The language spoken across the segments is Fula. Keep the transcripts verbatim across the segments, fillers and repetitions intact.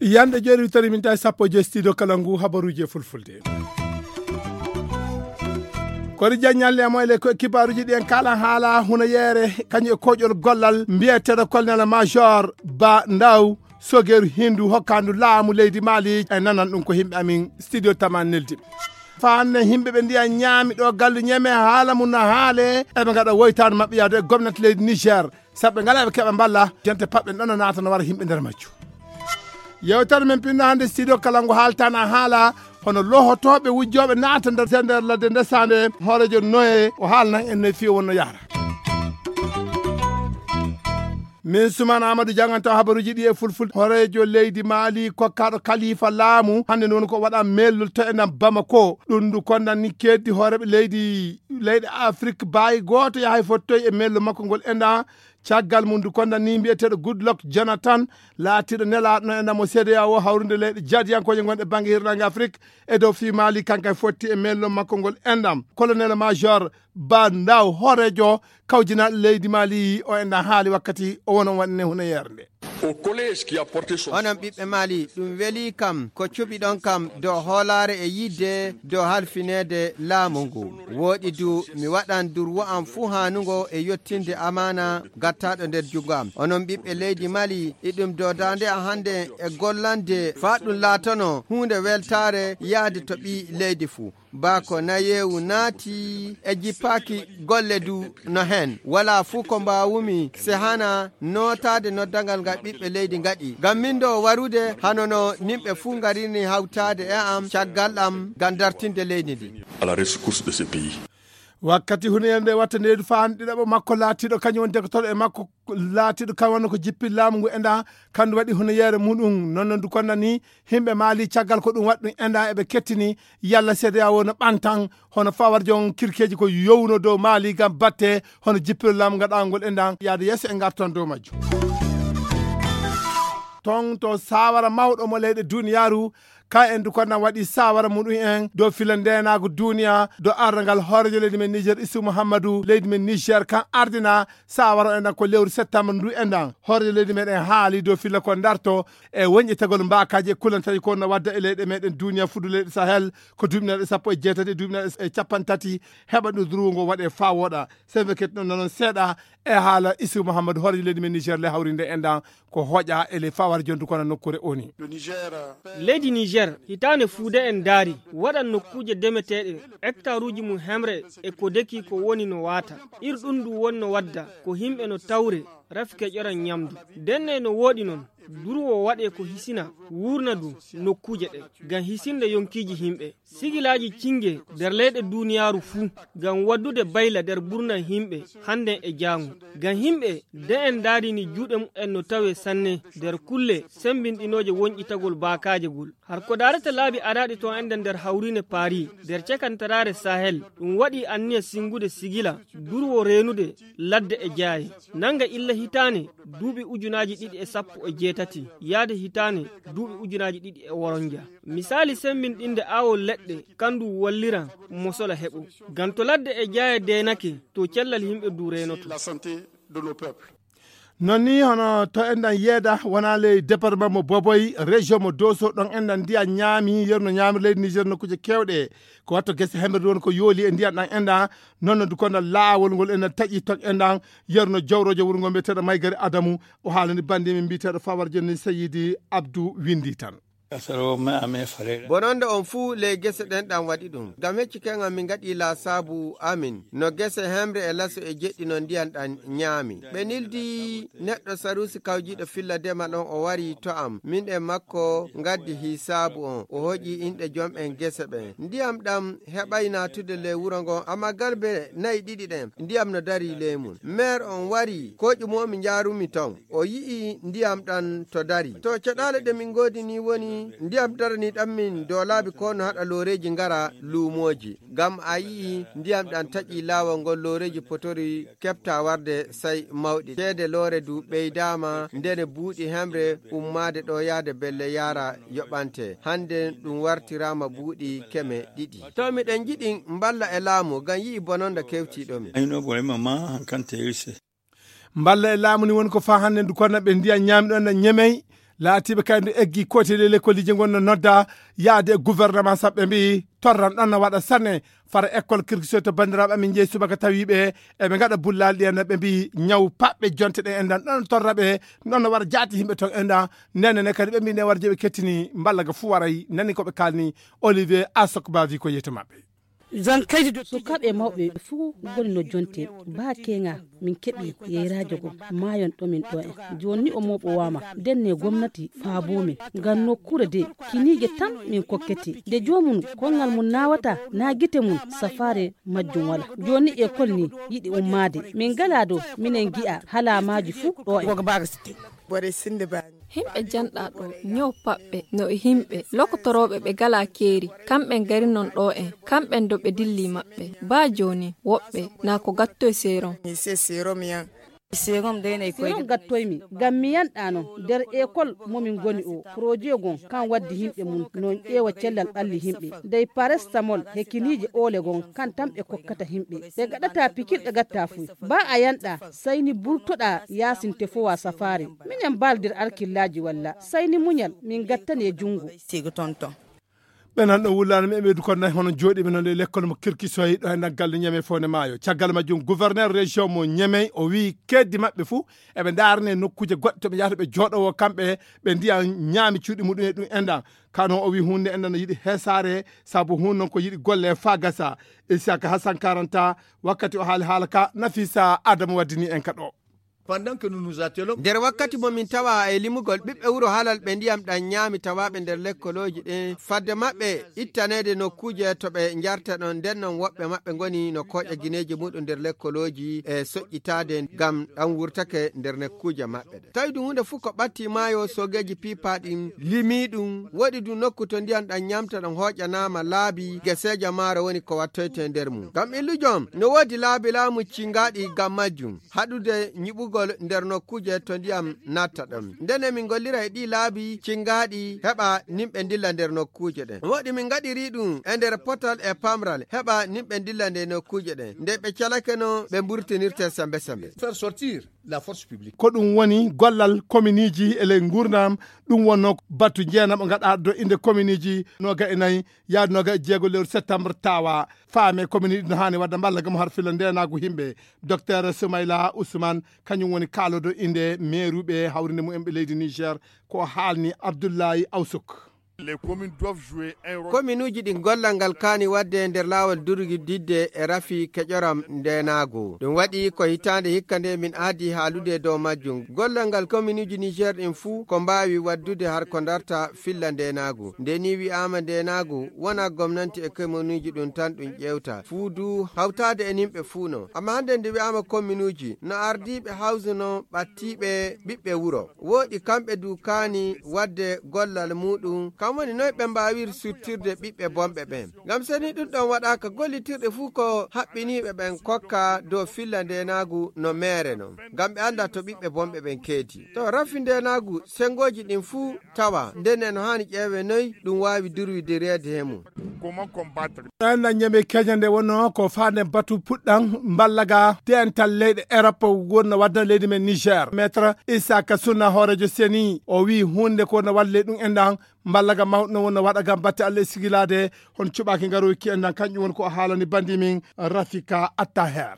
Yande jeeri witari min tawi sappo e joyi studio kala ngu habaruji e fulfulde. Kori jaññalle e moyle ko kibaaruji ɗi en kala haala hunayeere kañum e koƴol gollal mbiyeteeɗo colonel major ba ndaw sogeru hindu hokkandu laamu leydi mali e nanan ɗum ko himɓe amin studio tama neldi. Fanne himɓe ɓe ndiya ñaami ɗo gallu ñeme haala mum na haale eɓe ngaɗa woytaade maɓɓe yaade e gomnati leydi niger. Sabu ɓe ngala ɓe keɓa mballa jonte paɓɓe ɗon no naata no wara yimɓe nder majju. Yewtere men pinno hannde studio kala ngo haaltana haala hono lohotooɓe wujjooɓe naata nder nder ladde ndesande hoorejo noye o haalnan en noye fiyo wonno yahra. Min suman amadou janganto habaruji ɗi e fulfulde hoorejo leydi maali kokkaɗo kalifa laamu hannde noon ko waɗa mellol to enam bamako ɗum ndu kondan ni keddi hooreɓe leydi leyɗe afrik baayi gooto yahay fottoy e mello makko ngol enɗa. Caggal mum ndu kondan ni mbiyeteeɗo goodluck jonathan laatiiɗo nelaaɗo no enɗam o cda o hawrude leyɗe jaadiyankooje ngonɗe bannge hirnaange afrik e dow fii maali kanko e fotti e mello makko ngol enɗam colonel major ba ndaw hoorejo kawjinaaɗo leydi maali o enɗam haali wakkati o wona waɗne hunayeere nde. Onon ɓiɓɓe maali ɗum weli kam ko cuɓiɗon kam dow hoolaare e yidde dow halfineede laamu ngu. Wooɗi du mi waɗan durwo am fuu haanungo e yottinde amaana gattaaɗo nder junngo am. Onon ɓiɓɓe leydi maali iɗum doodaande a hannde e gollande faa ɗum laatono huunde weltaare yahde to ɓii leydi fuu. Baa ko nayeewu naati e jippaaki golle du no heen. Walaa fuu ko mbaawumi sehana nootaade noddangal ngal ɓiɓɓe leydi ngaɗi. Ngam min ɗo warude hano no nimɓe fuu ngarini hawtaade e am caggal am ngam dartinde leydi ndi. Wakkati huneyere nde watta ndeedu faan ɗiɗaɓo makko laatiiɗo kañum woni dekotoro e makko laatiiɗo kam wonno ko jippil laamu ngu enɗa kandu waɗi huneyere muɗum noon no ndu konna ni. Himɓe maali caggal ko ɗum waɗi ɗum enɗa eɓe kettini yalla seedeya wona ɓantan hono fawar jon kirkeji ko yowno dow maali ngam batte hono jippiro laamu ngaɗangol enɗa yaade yeeso e ngarton dow majjum. Ton to sawara mawɗo mo leyɗe duniyaaru ka en du konna waɗi sawara muɗum en dow fila ndenago duniya dow ardangal hoorejo leydi men niger isu mouhammadou leydi men niger kan ardina sawara enɗan ko lewru septembre ndu enɗan hoorejo leydi meɗen haali dow fila ko darto e wonƴetagol mbakaji e kulantaji ko no wadda e leyɗe meɗen duniya fudu leyɗe sahel ko duuɓinaɗe sappo e jeetati e duuɓinaɗe e capanɗe tati heɓa ɗo durungo waɗe fa woɗa. Sembe ketno nanon seeɗa e haala isu mouhammadou hoorejo leydi men niger le hawrinde enɗan ko hoƴa e ley fawar jondu kono nokkure oni. Leydi niger hitaande fuude en ndaari waɗan nokkuuje demeteeɗe hektaruuji mum hemre e ko deki ko woni no waata. Ir ɗum ndu wonno wadda ko yimɓe no tawre rafike ƴoran ñamdu. Denne no wooɗi noon durwo waɗe ko hisina wuurna du nokkuuje ɗe ngam hisinde yonkiiji yimɓe. Sigilaaji cinnge nder leyɗe duuniyaaru fuu ngam waddude bayla nder ɓurna yimɓe hannden e jaango. Ngam yimɓe de'en ndaarini juuɗe mumen no tawee sanne nder kulle semmbinɗinooje wonƴitagol baakaaje gol. Har ko daarata laabi araaɗi to enɗan nder hawriine paari nder cakantaraare sahel ɗum waɗi anniya sinngude sigila durwo reenude ladde e jaaye nannga illa hitaane duuɓi ujunaaji ɗiɗi e sappo e jeetati yaade hitaane duuɓi ujunaaji ɗiɗi e woronja. Misaali semmbinɗinde aawol leɗɗe kandu walliran mosola heɓo. Ganto ladde e jaaye deenake to cellal yimɓe du reenoto. Non ni hono to enɗan yeeda wona ley département mo boboy région mo doso ɗon enɗan ndiya ñaami yerno ñaami leydi niger nokkuuje kewɗe ko watto gese hemɓe won ko yooli e ndiyan ɗan enɗan. Noon no dukonda laawol ngol enɗan taƴi ton enɗan yerno jawrojo wuro ngo mbiyeteɗo maygari adamu o haalani bande min mbiyeteɗo fawar jonni seyidi abdou windi tan. Bononde on fuu ley gese ɗen ɗan waɗi ɗum ngam hecci keŋal min ngaɗi laasaabu amin no gese hemre e laso e jeɗɗi no ndiyan ɗan ñaami. Ɓe nildi neɗɗo sarusi kawjiiɗo filla dema ɗon o wari to am min e makko ngaddi hisaabu on o hoƴi inɗe jom en gese ɓen ndiyam ɗam heɓay naatude ley wuro ngon amma garbe nayi ɗiɗi ɗen ndiyam no dari ley mun. Meer on wari koƴu momi njaarumi ton o yi'i ndiyam ɗan to dari to caɗaale ɗe min ngoodi ni woni Ndiyam darani ɗan min doolaaɓe ko no haɗa looreeji ngara luumooji. Ngam a yi'i ndiyam ɗan taƴi laawol ngol looreeji potori keɓta warde sey mawɗi. Ceede loore du ɓeydaama ndene buuɗi hemre ummaade ɗo yahde belle yaara yoɓante. Hande ɗum wartiraama buuɗi keme ɗiɗi. To miɗen njiɗi mballa e laamu ngam yi'i bononda kewtiiɗo min. Ayno boy mama hankante irse. Mballa e laamu ni woni ko faa hannde ndu konna ɓe ndiyan ñaami ɗon na ñemey, laatiiɓe kay ndu eggi kooti le lekkoliji ngon no nodda yaade e gouvernement saɓɓe mbi torran ɗon na waɗa sanne. Fara école kirkisoy to banndiraaɓe amin njeyi subaka tawi ɓe eɓe ngaɗa bullaali ɗiyan na ɓe mbi ñaw paɓɓe jonte ɗen endan ɗon torra ɓe. Ɗon no waɗa jaati yimɓe ton endan. Nene ne kadi ɓe mbi ne war jeɓe kettini mballa ga fu waray nani ko ɓe kalni. Olivier Asok ba wi ko yeeto maɓɓe. Sukaaɓe e mawɓe fuu ngoni no jonte. Baa keeŋa min keɓi yeyraajo goo maayon ɗo min ɗo en. Jooni ni o mooɓowaama. Ndenne gomnati faaboo min ngam nokkuure de kiniije tan min kokkete. Nde joomum koŋŋal mum naawataa naa gite mum safaare majjum walaa. Jooni ni ekol ni yiɗi ummaade. Min ngalaa dow minen ngi'a halaamaaji fuu ɗo en. Himɓe janɗa ɗo ñaw paɓɓe no e himɓe lokotorooɓe ɓe galaa keeri. Kamɓe ngari non ɗo en kamɓe ndo ɓe dilli maɓɓe. Baa jooni woɓɓe naa ko gattoy seerom. Seerom gattoymi ngam mi yanɗa non nder ekol mo min ngoni o projet gon kan waddi himɓe mum non ƴeewa cellal ɓalli himɓe. Dey parestamol he kiniije oole gon kan tan ɓe kokkata himɓe. Ɓe gaɗata pikir ɓe gatta fuy. Baa a yanɗa sayni burtoɗa yaasin tefowa safaare. Minen mbaaldir arkillaaji walla sayni muñal min gattane junngo. Ɓe nan ɗo wullaano mi eɓeydu kon nayi hono jooɗiiɓe non e lekkol mo kirkisoy ɗo e naggal de ñeme fowne maayo caggal majjum gouverneur région mo ñemey o wii keddi maɓɓe fuu eɓe ndaarane nokkuuje goɗɗe to ɓe njahata ɓe jooɗowo kamɓe ɓe ndiya ñaami cuuɗi muɗum e ɗum enɗan. Kano o wii hunde enɗan no yiɗi heesaare sabu hun non ko yiɗi golle faa gasa. Isaka hasan karanta wakkati o haali haala ka nafisa adamu waddini en ka ɗo. Nder wakkati mo min tawa e limugol ɓiɓɓe wuro halal ɓe ndiyam ɗan ñaami tawaaɓe nder lekkolooji ɗin fadde maɓɓe ittaneede nokkuuje to ɓe njarta ɗon nden non woɓɓe maɓɓe ngoni no kooƴa gineeji muɗum nder lekkolooji e soƴƴitaade ngam ɗan wurtake nder nokkuuje maɓɓe ɗen tawi ɗum huunde fuu ko ɓatti maayo soogeeji piipaa ɗin limii ɗum woɗi ɗum nokku to ndiyam ɗan ñaamta ɗon hooƴanaama laabi geseeja maaro woni ko wattoyte nder mum ngam illujom no woodi laabi laamu cingaaɗi ngam majjum haɗude ñiɓugol nder nokkuuje to ndiyam natta ɗon. Ndene min ngollira e ɗii laabi cingaaɗi heɓa nimɓe ndilla nder nokkuuje ɗen. Woɗi min ngaɗiri ɗum e nder potal e pamral heɓa nimɓe ndilla nder nokkuuje ɗen. Nde ɓe calake no ɓe mburtinirte sembe sembe. Ko ɗum woni gollal kominiiji e ley nguurndam. Ɗum wonno batu jeenam o ngaɗa do innde kominiiji nooga e nayi yaade nooga e jeego lewru septembre tawa faame kominiiji ɗi no haani wadda mballa gam har filla ndenaagu yimɓe. Docteur Soumaila Ousmane kañum woni kaalodo innde meeruɓe hawrinde mumen ɓe leydi Niger. Ko haalni Abdullahi Awsuk. Kominuuji ɗi gollal ngal kaani waɗde e nder laawol durgididde e rafi keƴoram ndeenaagu. Ɗum waɗi ko hitaande hikka nde min aadi haalude e dow majjum. Gollal ngal kominuuji Niger ɗin fuu ko mbaawi waɗdude har ko darta filla ndeenaagu. Nde nii wi'aama ndeenaagu wonaa gomnanti e kominuuji ɗum tan ɗum ƴeewta. Fuu du hawtaade e nimɓe fuu non. Amma hannde nde wi'aama kominuuji no ardiiɓe hawsuno ɓattiiɓe ɓiɓɓe wuro. Wooɗi kamɓe du kaani waɗde gollal muuɗum, kam woni noy ɓe mbaawir suttirde ɓiɓɓe bonɓe ɓen. Ngam so ni ɗum ɗon waɗaaka, gollitirɗe fuu ko haɓɓiniiɓe ɓen kokka dow filla ndeenaagu no meere non, ngam ɓe annda to ɓiɓɓe bonɓe ɓen keedi. To rafi ndeenaagu, senngooji ɗin fuu tawa, nden e no haani ƴeewee noy ɗum waawi durwidireede he mum. Ɗan nan ñame keña nde wonno ko faande batu puɗɗan mballaga dental leyɗe Europe wonno wadda leydi men Niger. Maître Issaka Sunna hoorejo seni o wii hunde ko no wadde ley ɗum enɗan mballaga mawɗo no wonno waɗa gam batte Allah e sigilaade hon cuɓaaki ngaroyki enɗan kanƴum woni ko o haalani bandi min Rafika Attaher.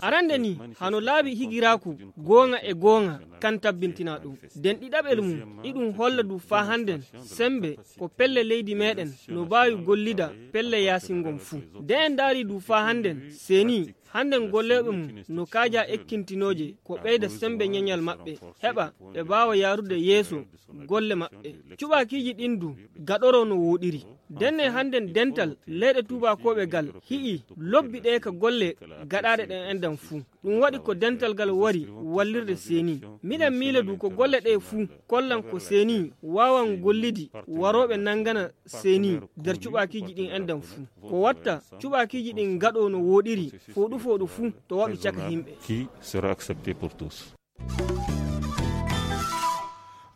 Arande ni hano laabi higiraaku gooŋa e gooŋa kan tabbintina ɗum. Den ɗiɗaɓel mum iɗum holla du faa hannden sembe ko pelle leydi meeɗen no baawi gollida pelle yaasin ngon fuu. De en ndaari du faa hannden seni hannden golleeɓe mum no kaaja ekkintinooje ko ɓeyda sembe ñeñal maɓɓe heɓa ɓe baawa yaarude yeeso golle maɓɓe. Cuɓaakiiji ɗin du gaɗoro no wooɗiri. Denne hannden dental leyɗe tuubakooɓe gal hi'i lobbi ɗe ka golle gaɗaaɗe ɗen enɗan fuu. Ɗum waɗi ko dental gal wari wallirde seeni. Miɗen miila du ko golle ɗe fuu kollan ko seeni waawan gollidi warooɓe nanngana seeni nder cuɓaakiiji ɗin enɗan fuu. Ko watta cuɓaakiiji ɗin gaɗo no wooɗiri fooɗu fooɗu fuu to waɗu caka himɓe. Qui sera accepté pour tous.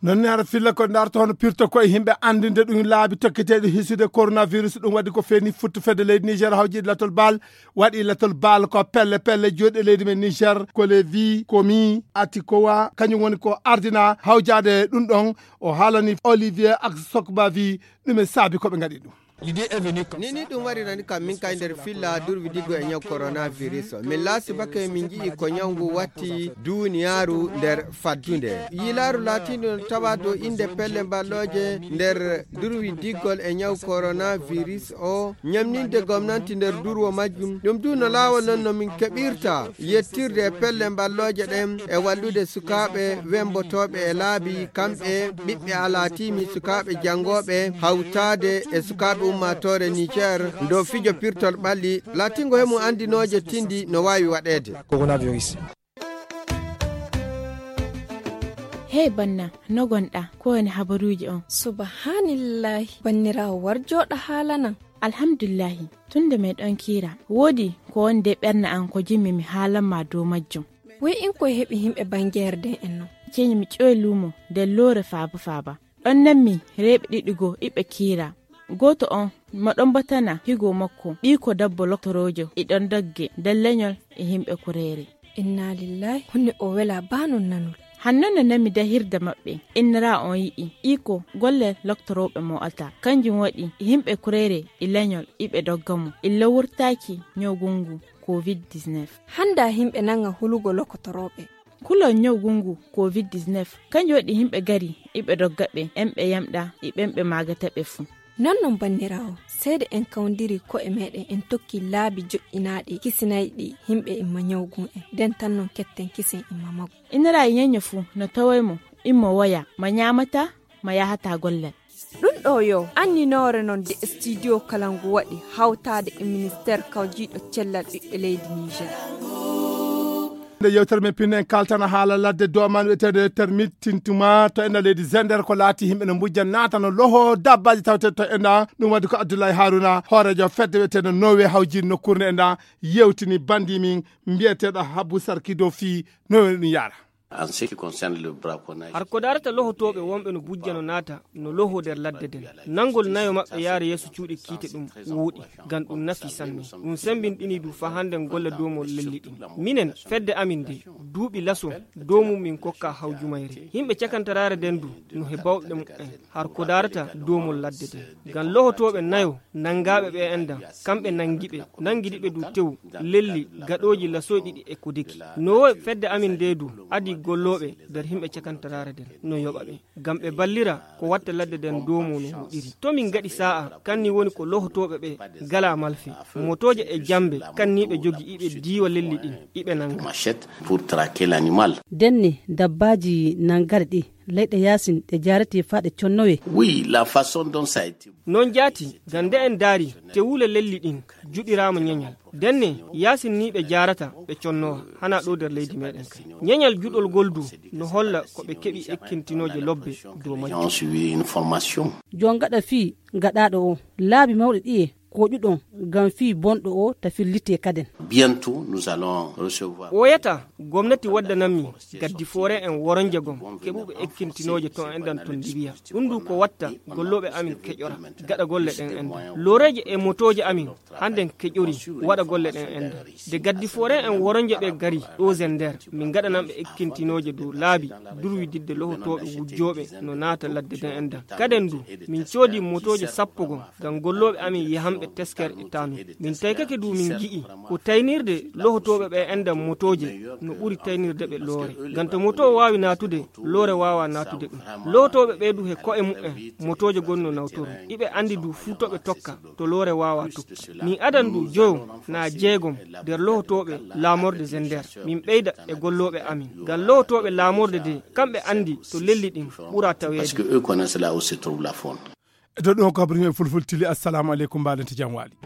Non ne ara filla ko darto hono pirto ko e himɓe andinde ɗum laabi tokketeɗi hisude coronavirus. Ɗum waɗi ko feeni futtu fedde leydi Niger hawjiɗi latol baal. Waɗi latol baal ko pelle pelle joɗɗe leydi men Niger ko levi komi atikowa kañum woni ko ardina hawjade ɗum ɗon. O haalani Olivier ak sokbavi ɗum e saabi koɓe gaɗi ɗum. Nini ɗum warirani kam min kay nder filla durwi diggo e ñaw coronavirus o min laasi bake min ji'i ko ñaw ngu watti duniyaaru nder faddunde. Yiilaaru laatiindu no tawa dow innde pelle mballooje nder durwi diggol e ñaw coronavirus o ñamninde gomnanti nder durwo majjum ɗum du no laawol non no min keɓirta yettirde e pelle mballooje ɗen e wallude sukaaɓe wembotooɓe e laabi kamɓe ɓiɓɓe alaatiimi sukaaɓe janngooɓe hawtaade e sukaaɓe ummaatoore niger ndo fijo pirtol ɓalli laatingo he mum anndinooje tindi no waawi waɗeede. Hey banna, no gonɗa? Ko woni habaruuji on? Subhanillahi, banniraawo war jooɗa haalanan. Alhamdulillahi, tun nde meɗon kiira, woodi ko woni de ɓernde an ko jimmi mi haalan ma dow majjum. Wey in koye heɓi himɓe bangeerde en non? Ceñi mi ƴoy luumo nder loore faaba faaba. Ɗon nanmi reeɓe ɗiɗi goo iɓe kiira. Gooto on mo ɗon batana higo makko ɓiiko dabbo loktoroojo iɗon dogge nder leñol e himɓe kureere. Inna lillahi, honno o wela baa non nanol? Hanno no nami dahirde maɓɓe, innira on yi'i iko golle loktorooɓe mo'ata. Kanjum waɗi himɓe kureere e leñol iɓe dogga mo illa wurtaaki ñawgu ngu covid dix-neuf. Hannda himɓe nanga hulugo lokotorooɓe. Kulol ñawgu ngu covid dix-neuf kanjum waɗi himɓe gari iɓe dogga ɓe en ɓe yamɗa e ɓen ɓe maagata ɓe fuu. Non non banniraawo, seede en kawndiri ko'e meɗen en tokki laabi joƴƴinaaɗi kisinayɗi himɓe imma ñawgun en, nden tan non ketten kisen imma maggu. Iniraayi ñeño fuu no taway mo immo woya ma ñaamata ma yahata gollal. Ɗum ɗo yo anninoore non de studio kala ngu waɗi hawtaade e ministeer kawjiiɗo cellal ɓiɓɓe leydi Niger. Nde yewtere men pinne en kaltana haala ladde doman wiyetede termit tintuma to enda leydi zender ko laati himɓe no mbujja naata no loho dabbaji tawte to enda. Ɗum waɗi ko abdoulaye haruna hoorejo fedde wiyetede nowe hawjiri nokkurne enda yewtini bandi min mbiyeteɗo habbu sarkido fi nowe ɗum yara. Har ko darata lohotooɓe wonɓe no bujja no naata no loho nder ladde nden, nanngol nayo maɓɓe yaara yeeso cuuɗi kiite ɗum wooɗi, ngam ɗum nafi sanne. Ɗum semmbinɗini du faa hannden golle doomol lelli ɗin. Minen, fedde amin nde, duuɓi laso doomum min kokka hawjumayre. Yimɓe cakantaraare nden du no he bawɗe mumen har ko darata doomol ladde nden. Ngam lohotooɓe nayo nanngaaɓe ɓe enɗan, kamɓe nanngi ɓe, nanngidi ɓe du tew, lelli, gaɗooji lasoy ɗiɗi e ko deki. No woy fedde amin nde du adii gollooɓe nder himɓe cakantaraare nden no yoɓa ɓe, ngam ɓe ballira ko watta ladde nden doomo no huɗiri. To min ngaɗi saa'a, kanni woni ko lohotooɓe ɓe ngalaa malfe, motooje e jammbe, kanni ɓe jogi iɓe diiwa lelli ɗin, iɓe nannga. Denne dabbaaji nanngare ɗi leyɗe yaasin ɗe jaarete faa ɗe connowe. Wi la façon dont ça a été. Non jaati, ngam nde en ndaari, tewule lelli ɗin juɗiraama ñeñal. Denne, yaasin nii ɓe jaarata, ɓe connowa, hanaa ɗoo nder leydi meeɗen kay. Ñeñal juɗol ngol du no holla ko ɓe keɓi ekkintinooje lobbe dow majjum. Jon gaɗa fii gaɗaaɗo o, laabi mawɗi ɗiye kooƴuɗon ngam fii bonɗo o ta fillitee kaden. Bientôt nous allons recevoir. Ɓooyataa gomnati waddanammi gaddi foore en woronje gom keɓuɓe ekkintinooje ton enɗan ton libiya. Ɗum du ko watta gollooɓe amin keƴora gaɗa golle ɗen enɗan. Looreeje e motooje amin hannden keƴori waɗa golle ɗen enɗan. Nde gaddi foore en woronje ɓe gari ɗoo zender min gaɗananɓe ekkintinooje dow laabi durwididde lohotooɓe wujjooɓe no naata ladde ɗen enɗan. Kaden du min coodi motooje sappo gom ngam gollooɓe amin yahanɓe tesker e taanum. Min taykake du min ngi'i ko taynirde lohotooɓe ɓe enɗan motooje no ɓuri taynirde ɓe loore. Ngam to moto o waawi naatude, loore waawaa naatude ɗum. Lohotooɓe ɓe du he ko'e mumen motooje gon no nawtoru. Iɓe anndi du fuu to ɓe tokka to loore waawaa tokki. Min adan du joyo naa jeegom nder lohotooɓe laamorde zender min ɓeyda e gollooɓe amin. Ngam lohotooɓe laamorde de kamɓe anndi to lelli ɗin ɓura taweede. Parce que eux connaissent là où se trouve la faune. E to ɗum ko habri e fulfultili. Assalamu aleykum, mbaɗen to jam waali.